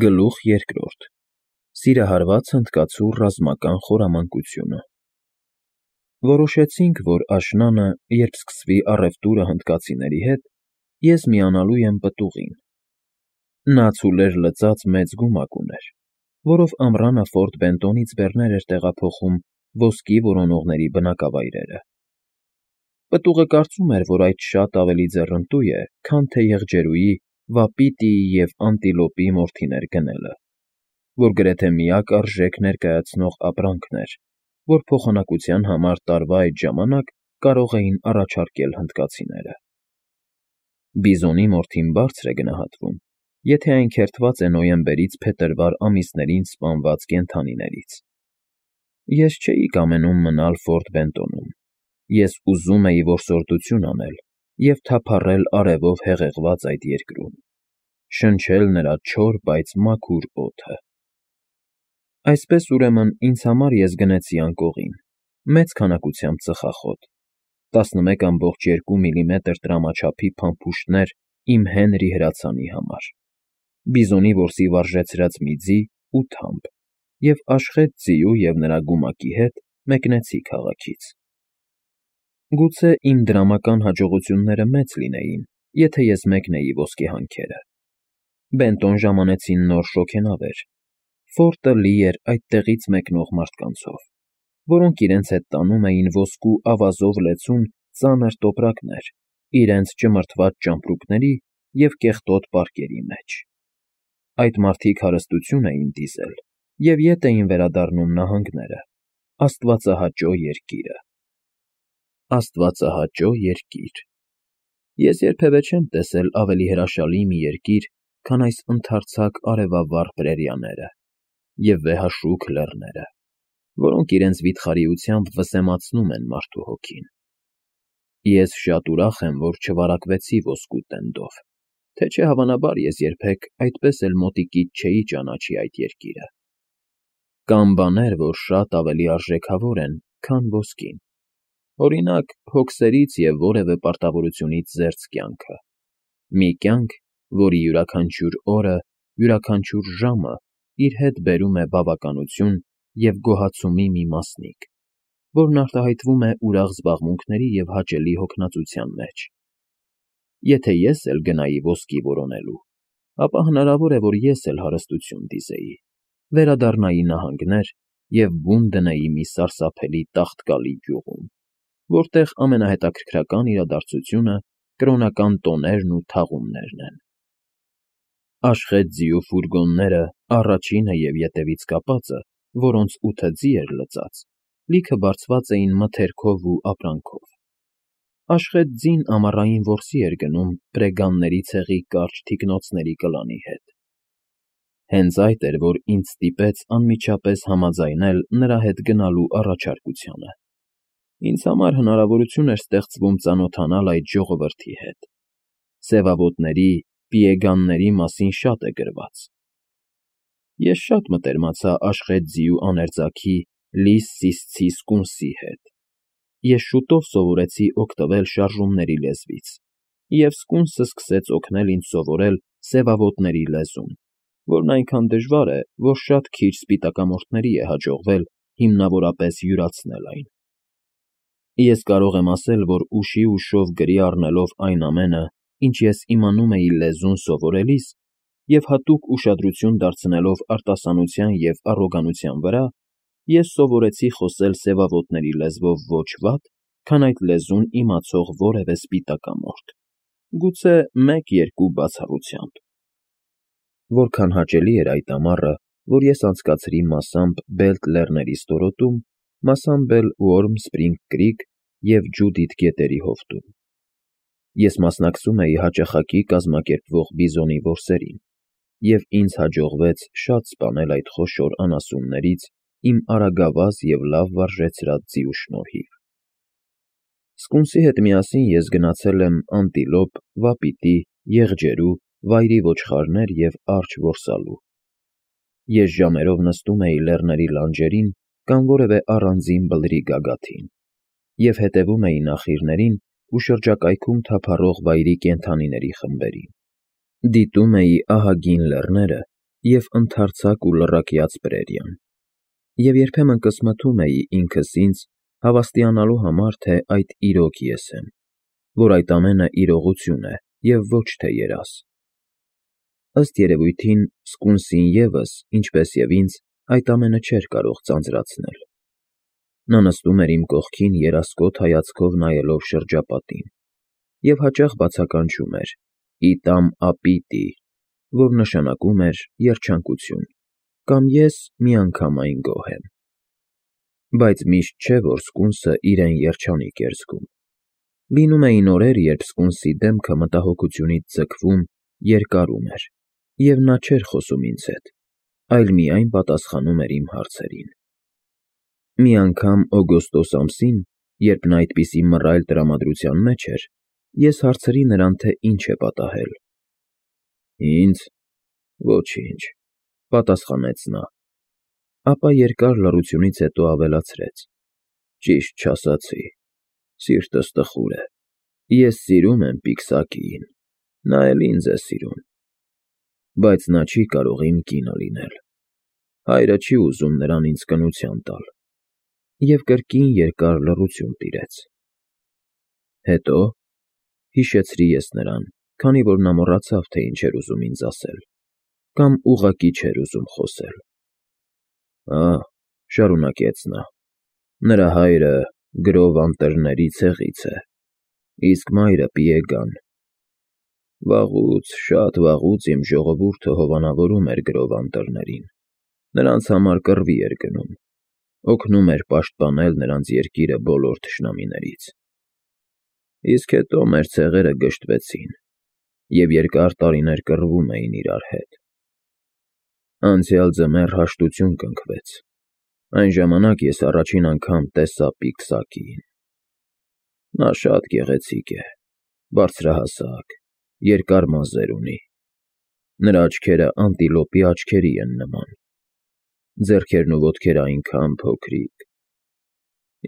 Գլուխ երկրորդ. Սիրահարված հնդկացու ռազմական խորամանկությունը։ Որոշեցինք, որ աշնանը, երբ սկսվի առևտուրը հնդկացիների հետ, ես միանալու եմ պտուղին։ Նա ցուլեր լծած մեծ գումակ ուներ, որով ամռանը Ֆորտ Բենտոնից բեռներ էր տեղափոխում ոսկի որոնողների բնակավայրերը։ Պտուղը կարծում էր, որ այդ շատ ավելի ձեռնտու է, քան թե եղջերուի, վապիտիի և անտիլոպի մորթիներ գնելը, որ գրեթե միակ արժեք ներկայացնող ապրանքն էր, որ փոխանակության համար տարվա այդ ժամանակ կարող էին առաջարկել հնդկացիները։ Բիզոնի մորթին բարձր է գնահատվում, եթե այն քերթված է նոյեմբերից փետրվար ամիսներին սպանված կենդանիներից։ Ես չէի կամենում մնալ Ֆորտ Բենտոնում։ Ես ուզում էի որսորդություն անել և թափառել արևով հեղեղված այդ երկրում, շնչել նրա չոր, բայց մաքուր օդը։ Այսպես, ուրեմն, ինձ համար ես գնեցի անկողին, մեծ քանակությամբ ծխախոտ, 11,2 միլիմետր տրամաչափի փամփուշտներ իմ Հենրի հրացանի համար, բիզոնի որսի վարժեցրած մի ձի ու թամփ, և աշխատ ձիու և նրա գումակի հետ մեկնեցի քաղաքից։ Գուցե իմ դրամական հաջողությունները մեծ լինեին, եթե ես մեկնեի ոսկեհանքերը։ Բենտոն ժամանեցին նոր շոգենավեր։ Ֆորտը լի էր այդտեղից մեկնող մարդկանցով, որոնք իրենց հետ տանում էին ոսկու ավազով լեցուն ծանր տոպրակներ իրենց ճմրթված ճամպրուկների և կեղտոտ պարկերի մեջ։ Այդ մարդիկ հարստություն էին դիզել և ետ էին վերադառնում նահանգները, աստվածահաճո երկիրը։ Աստվածահաճո երկիր։ Ես երբևէ չեմ տեսել ավելի հրաշալի մի երկիր, քան այս ընդարձակ արևավառ պրերիաները և վեհաշուք լեռները, որոնք իրենց վիթխարիությամբ վսեմացնում են մարդու հոգին։ Ես շատ ուրախ եմ, որ չվարակվեցի ոսկու տենդով, թե չէ հավանաբար ես երբեք այդպես էլ մոտիկից չէի ճանաչի այդ երկիրը։ Կան բաներ, որ շատ ավելի արժեքավոր են, քան ոսկին։ Օրինակ, հոգսերից և որևէ պարտավորությունից զերծ կյանքը։ Մի կյանք, որի յուրաքանչյուր օրը, յուրաքանչյուր ժամը իր հետ բերում է բավականություն և գոհացումի մի մասնիկ, որն արտահայտվում է ուրախ զբաղմունքների և հաճելի հոգնածության մեջ։ Եթե ես էլ գնայի ոսկի որոնելու, ապա հնարավոր է, որ ես էլ հարստություն դիզեի, վերադառնայի նահանգներ և բուն դնեի մի սարսափելի տաղտկալի գյուղում, որտեղ ամենահետաքրքրական իրադարձությունը կրոնական տոներն ու թաղումներն են։ Աշխատ ձիու ֆուրգոնները, առաջինը և ետևից կապածը, որոնց 8 ձի էր լծած, լիքը բարձված էին մթերքով ու ապրանքով։ Աշխատ ձին ամառային որսի էր գնում պրեգանների ցեղի կարճ թիկնոցների կլանի հետ։ Հենց այդ էր, որ ինձ ստիպեց անմիջապես համաձայնել նրա հետ գնալու առաջարկությանը։ Ինձ համար հնարավորություն էր ստեղծվում ծանոթանալ այդ ժողովրդի հետ։ Սևավոտների, պիեգանների մասին շատ է գրված։ Ես շատ մտերմացա աշխատ ձիու աներձանքի Լիս Սիսցի սկունսի հետ։ Ես շուտով սովորեցի օգտվել շարժումների լեզվից, և սկունսը սկսեց օգնել ինձ սովորել սևավոտների լեզուն, որն այնքան դժվար է, որ շատ քիչ սպիտակամորթների է հաջողվել հիմնավորապես յուրացնել այն։ Ես կարող եմ ասել, որ ուշի ուշով գրի առնելով այն ամենը, ինչ ես իմանում էի լեզուն սովորելիս, և հատուկ ուշադրություն դարձնելով արտասանության և առոգանության վրա, ես սովորեցի խոսել սևավոտների լեզվով ոչ վատ, քան այդ լեզուն իմացող որևէ սպիտակամորթ, գուցե 1-2 բացառությամբ։ Որքան հաճելի էր այդ ամառը, որ ես անցկացրի մասամբ Բելտ լեռների ստորոտում, մասամբ էլ Ուորմ Սփրինգ Կրիք և Ջուդիթ գետերի հովտում։ Ես մասնակցում էի հաճախակի կազմակերպվող բիզոնի որսերին, և ինձ հաջողվեց շատ սպանել այդ խոշոր անասուններից իմ արագավազ և լավ վարժեցրած ձիու շնորհիվ։ Սկունսի հետ միասին ես գնացել եմ անտիլոպ, վապիտի, եղջերու, վայրի ոչխարներ և արջ որսալու։ Ես ժամերով նստում էի լեռների լանջերին կամ որևէ առանձին բլրի գագաթին և հետևում էի նախիրներին ու շրջակայքում թափառող վայրի կենդանիների խմբերին։ Դիտում էի ահագին լեռները և ընդարձակ ու լռակյաց Բրերիան, և երբեմն կսմթում էի ինքս ինձ հավաստիանալու համար, թե այդ իրոք ես եմ, որ այդ ամենը իրողություն է և ոչ թե երազ։ Ըստ երևույթին սկունսին ևս, ինչպես և ինձ, այդ ամենը չէր կարող ձանձրացնել։ Նա նստում էր իմ կողքին երասկոտ հայացքով նայելով շրջապատին և հաճախ բացականչում էր «իտամ ապիտի», որ նշանակում էր երջանկություն, կամ «ես միանգամայն գոհ եմ»։ Բայց միշտ չէ, որ սկունսը իրեն երջանիկ էր զգում։ Լինում էին օրեր, երբ սկունսի դեմքը մտահոգությունից ձգվում, երկարում էր, և նա չէր խոսում ինձ հետ, այլ միայն պատասխանում էր իմ հարցերին։ Մի անգամ օգոստոս ամսին, երբ նա այդպիսի մռայլ տրամադրության մեջ էր, ես հարցրի նրան, թե ինչ է պատահել։ «Ինձ, ոչինչ», պատասխանեց նա, ապա երկար լռությունից հետո ավելացրեց. «Ճիշտ չասացի, սիրտս տխուր է, ես սիրում եմ պիկսակիին, նա էլ ինձ է սիրում, բայց նա չի կարող իմ կինը լինել, հայրը չի ուզում նրան ինձ կնության տալ»։ Եվ կրկին երկար լռություն տիրեց։ Հետո հիշեցրի ես նրան, քանի որ նա մոռացավ, թե ինչ էր ուզում ինձ ասել, կամ ուղղակի չէր ուզում խոսել։ «Ահ», շարունակեց նա, «նրա հայրը գրով անտառների ցեղից է, իսկ մայրը պիեգան։ Վաղուց, շատ վաղուց իմ ժողովուրդը հովանավորում էր գրով անտառներին, նրանց համար կռվի էր գնում, օգնում էր պաշտպանել նրանց երկիրը բոլոր թշնամիներից։ Իսկ հետո մեր ցեղերը գժտվեցին և երկար տարիներ կռվում էին իրար հետ։ Անցյալ ձմեռ հաշտություն կնքվեց, այն ժամանակ ես առաջին անգամ տեսա պիկսակիին։ Նա շատ գեղեցիկ է, բարձրահասակ, երկար մազեր ունի, նրա աչքերը անտիլոպի աչքերի են նման, ձեռքերն ու ոտքերը այնքան փոքրիկ։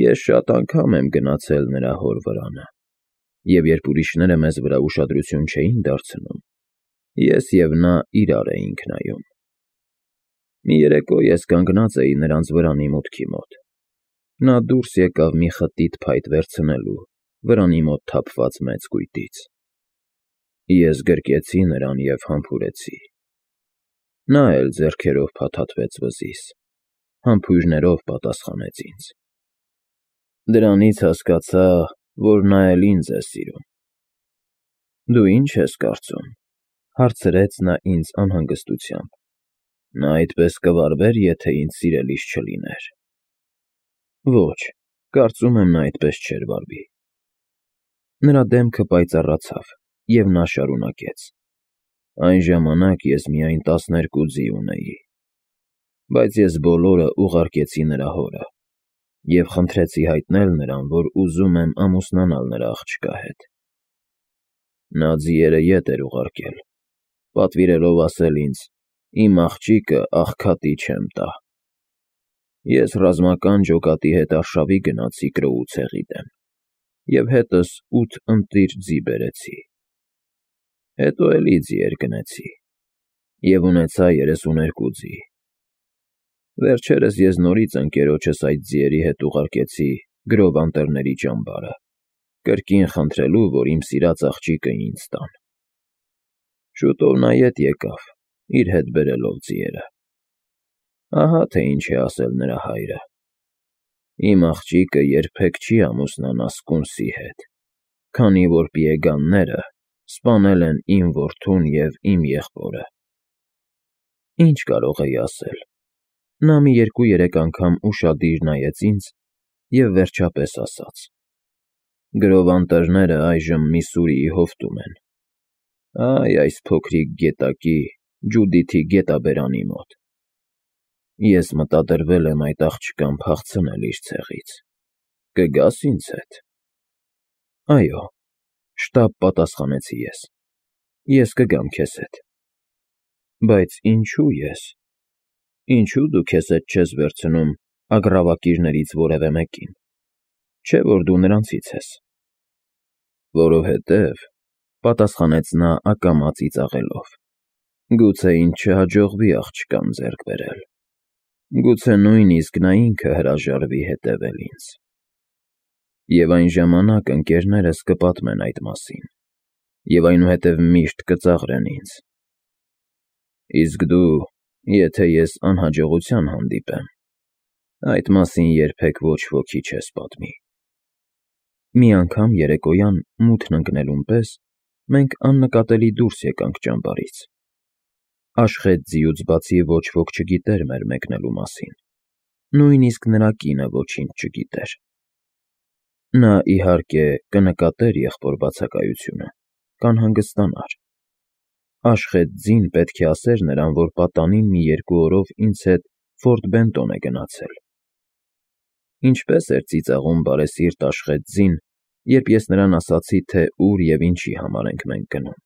Ես շատ անգամ եմ գնացել նրա հոր վրանը, և երբ ուրիշները մեզ վրա ուշադրություն չէին դարձնում, ես և նա իրար էինք նայում։ Մի երեկո ես կանգնած էի նրանց վրանի մուտքի մոտ։ Նա դուրս եկավ մի խտիտ փայտ վերցնելու վրանի մոտ թափված մեծ կույտից։ Ես գրկեցի նրան և համբուրեցի։ Նա էլ ձեռքերով փաթաթվեց վզիս, համբույրներով պատասխանեց ինձ։ Դրանից հասկացա, որ նա էլ ինձ է սիրում։ «Դու ի՞նչ ես կարծում», հարցրեց նա ինձ անհանգստությամբ։ «Նա այդպես կվարվե՞ր, եթե ինձ սիրելիս չլիներ»։ Ոչ, կարծում եմ, նա այդպես չէր վարվի։ Նրա դեմքը պայծառացավ, և նա շարունակեց. «Այն ժամանակ ես միայն 12 ձի ունեի, բայց ես բոլորը ուղարկեցի նրա հորը և խնդրեցի հայտնել նրան, որ ուզում եմ ամուսնանալ նրա աղջկա հետ։ Նա ձիերը ետ էր ուղարկել, պատվիրելով ասել ինձ. «Իմ աղջիկը աղքատի չեմ տա»։ Ես ռազմական ջոկատի հետ արշավի գնացի Կրոու ցեղի դեմ և հետս 8 ընտիր ձի բերեցի։ Հետո էլի ձիեր գնեցի և ունեցա 32 ձի։ Վերջերս ես նորից ընկերոջս այդ ձիերի հետ ուղարկեցի գրով անտառների ճամբարը, կրկին խնդրելու, որ իմ սիրած աղջիկը ինձ տան։ Շուտով նա ետ եկավ, իր հետ բերելով ձիերը։ Ահա թե ինչ է ասել նրա հայրը. «Իմ աղջիկը երբեք չի ամուսնանա սկունսի հետ, քանի որ պիեգանները սպանել են իմ որդուն և իմ եղբորը»։ Ինչ կարող էի ասել։ Նա մի 2-3 անգամ ուշադիր նայեց ինձ և վերջապես ասաց. «Գրով անտառները այժմ Միսսուրիի հովտում են։ Այ այս փոքրիկ գետակի, Ջուդիթի գետաբերանի մոտ։ Ես մտադրվել եմ այդ աղջկան փախցնել իր ցեղից։ Կգա՞ս ինձ հետ»։ «Այո», շտապ պատասխանեցի ես։ «Ես կգամ քեզ հետ»։ «Բայց ինչո՞ւ ես։ Ինչո՞ւ դու քեզ հետ չես վերցնում ագռավակիրներից որևէ մեկին, չէ՞ որ դու նրանցից ես»։ «Որովհետև», պատասխանեց նա ակամա ծիծաղելով, Գուցե ինձ չհաջողվի աղջկան ձեռք բերել, գուցե նույնիսկ նա ինքը հրաժարվի հետևել ինձ, և այն ժամանակ ընկերներս կպատմեն այդ մասին, և այնուհետև միշտ կծաղրեն ինձ, իսկ դու, եթե ես անհաջողության հանդիպեմ, այդ մասին երբեք ոչ ոքի չես պատմի։ Մի անգամ երեկոյան մութն ընկնելուն պես մենք աննկատելի դուրս եկանք ճամբարից։ Աշխեթ ձիուց բացի ոչ ոք չգիտեր մեր մեկնելու մասին, նույնիսկ նրա կինը ոչինչ չգիտեր։ Նա, իհարկե, կնկատեր եղբոր բացակայությունը, կանհանգստանար։ Աշխեթ ձին պետք է ասեր նրան, որ պատանին մի 2 օրով ինձ հետ Ֆորտ Բենտոն է գնացել։ Ինչպես էր ծիծաղում բարեսիրտ Աշխեթ ձին, երբ ես նրան ասացի, թե ուր և ինչի համար ենք մենք գնում։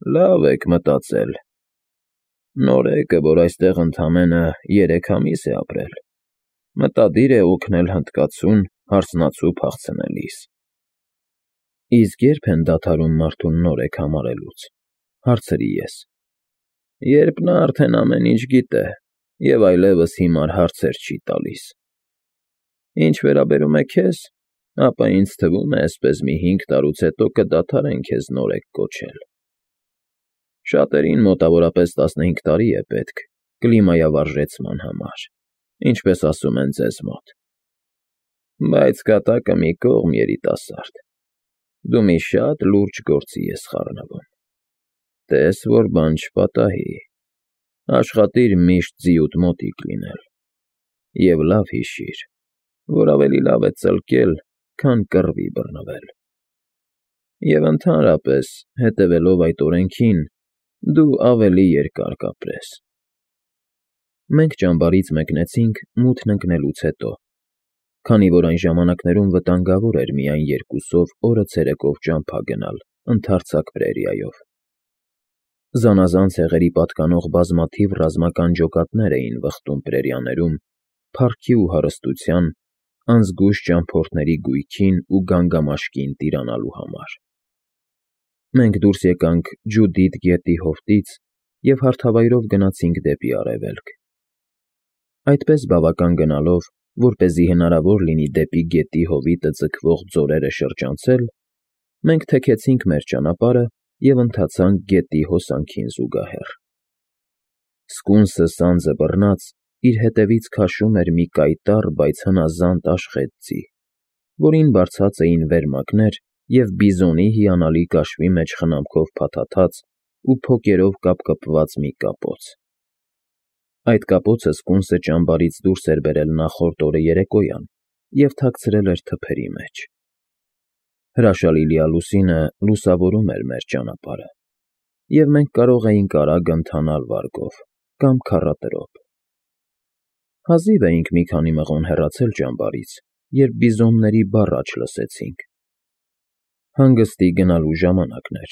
Լավ եք մտածել։ Նորեկը, որ այստեղ ընդամենը 3 ամիս է ապրել, մտադիր է օգնել հնդկացուն հարսնացու փախցնելիս։ Իսկ ե՞րբ են դադարում մարդուն նորեկ համարելուց, հարցրի ես։ Երբ նա արդեն ամեն ինչ գիտե և այլևս հիմար հարցեր չի տալիս։ Ինչ վերաբերում է քեզ, ապա ինձ թվում է, էսպես մի 5 տարուց հետո կդադարեն քեզ նորեկ կոչել։ Շատերին մոտավորապես 15 տարի է պետք կլիմայավարժեցման համար, ինչպես ասում են ձեզ մոտ։ Բայց կատակը մի կողմ, երիտասարդ, դու մի շատ լուրջ գործի ես խառնվում։ Տես, որ բան չպատահի, աշխատիր միշտ ձիուդ մոտիկ լինել և լավ հիշիր, որ ավելի լավ է ծլկել, քան կռվի բռնվել։ Եվ ընդհանրապես, հետևելով այդ օրենքին, դու ավելի երկար կապրես։ Մենք ճամբարից մեկնեցինք մութն ընկնելուց հետո, քանի որ այն ժամանակներում վտանգավոր էր միայն 2-ով օրը ցերեկով ճամփա գնալ ընդարձակ պրերիայով։ Զանազան ցեղերի պատկանող բազմաթիվ ռազմական ջոկատներ էին վխտում պրերիաներում փառքի ու հարստության, անզգույշ ճամփորդների գույքին ու գանգամաշկին տիրանալու համար։ Մենք դուրս եկանք Ջուդիթ գետի հովտից և հարթավայրով գնացինք դեպի արևելք։ Այդպես բավական գնալով, որպեսզի հնարավոր լինի դեպի գետի հովիտը ձգվող ձորերը շրջանցել, մենք թեքեցինք մեր ճանապարհը և ընթացանք գետի հոսանքին զուգահեռ։ Սկունսը սանձը բռնած իր հետևից քաշում էր մի կայտառ, բայց հնազանդ աշխեթ ձի, որին բարձած էին վերմակներ և բիզոնի հիանալի կաշվի մեջ խնամքով փաթաթած ու փոկերով կապկպված մի կապոց։ Այդ կապոցը սկունսը ճամբարից դուրս էր բերել նախորդ օրը երեկոյան և թաքցրել էր թփերի մեջ։ Հրաշալի լիալուսինը լուսավորում էր մեր ճանապարհը, և մենք կարող էինք արագ ընթանալ վարգով կամ քառատրոփ։ Հազիվ էինք մի քանի մղոն հեռացել ճամբարից, երբ բիզոնների բառաչ լսեցինք։ Հանգստի գնալու ժամանակն էր,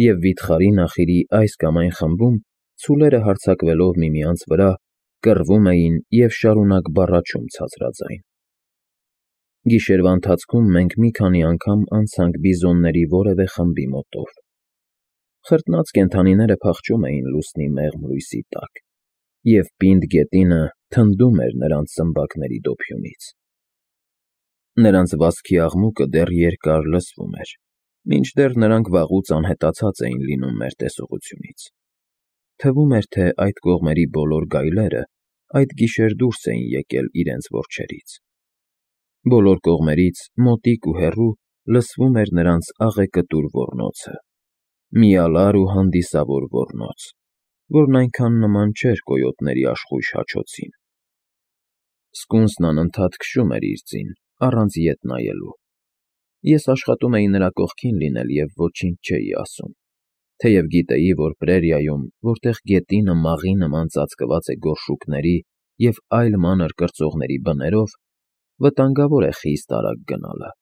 և վիթխարի նախիրի այս կամ այն խմբում ցուլերը հարձակվելով միմյանց վրա կռվում էին և շարունակ բառաչում ցածրաձայն։ Գիշերվա ընթացքում մենք մի քանի անգամ անցանք բիզոնների որևէ խմբի մոտով։ Խրտնած կենդանիները փախչում էին լուսնի մեղմ լույսի տակ, և պինդ գետինը թնդում էր նրանց սմբակների դոփյունից։ Նրանց վազքի աղմուկը դեռ երկար լսվում էր, մինչդեռ նրանք վաղուց անհետացած էին լինում մեր տեսողությունից։ Թվում էր, թե այդ կողմերի բոլոր գայլերը այդ գիշեր դուրս էին եկել իրենց որջերից։ Բոլոր կողմերից, մոտիկ ու հեռու, լսվում էր նրանց աղեկտուր ոռնոցը, միալար ու հանդիսավոր ոռնոց, որն այնքան նման չէր կոյոտների աշխույժ հաչոցին։ Սկունսն անընդհատ քշում էր իր ձին, առանց ետ նայելու։ Ես աշխատում էի նրա կողքին լինել և ոչինչ չէի ասում, թեև գիտեի, որ պրերիայում, որտեղ գետինը մաղի նման ծածկված է գորշուկների և այլ մանր կրծողների բներով, վտանգավոր է խիստ արագ գնալը։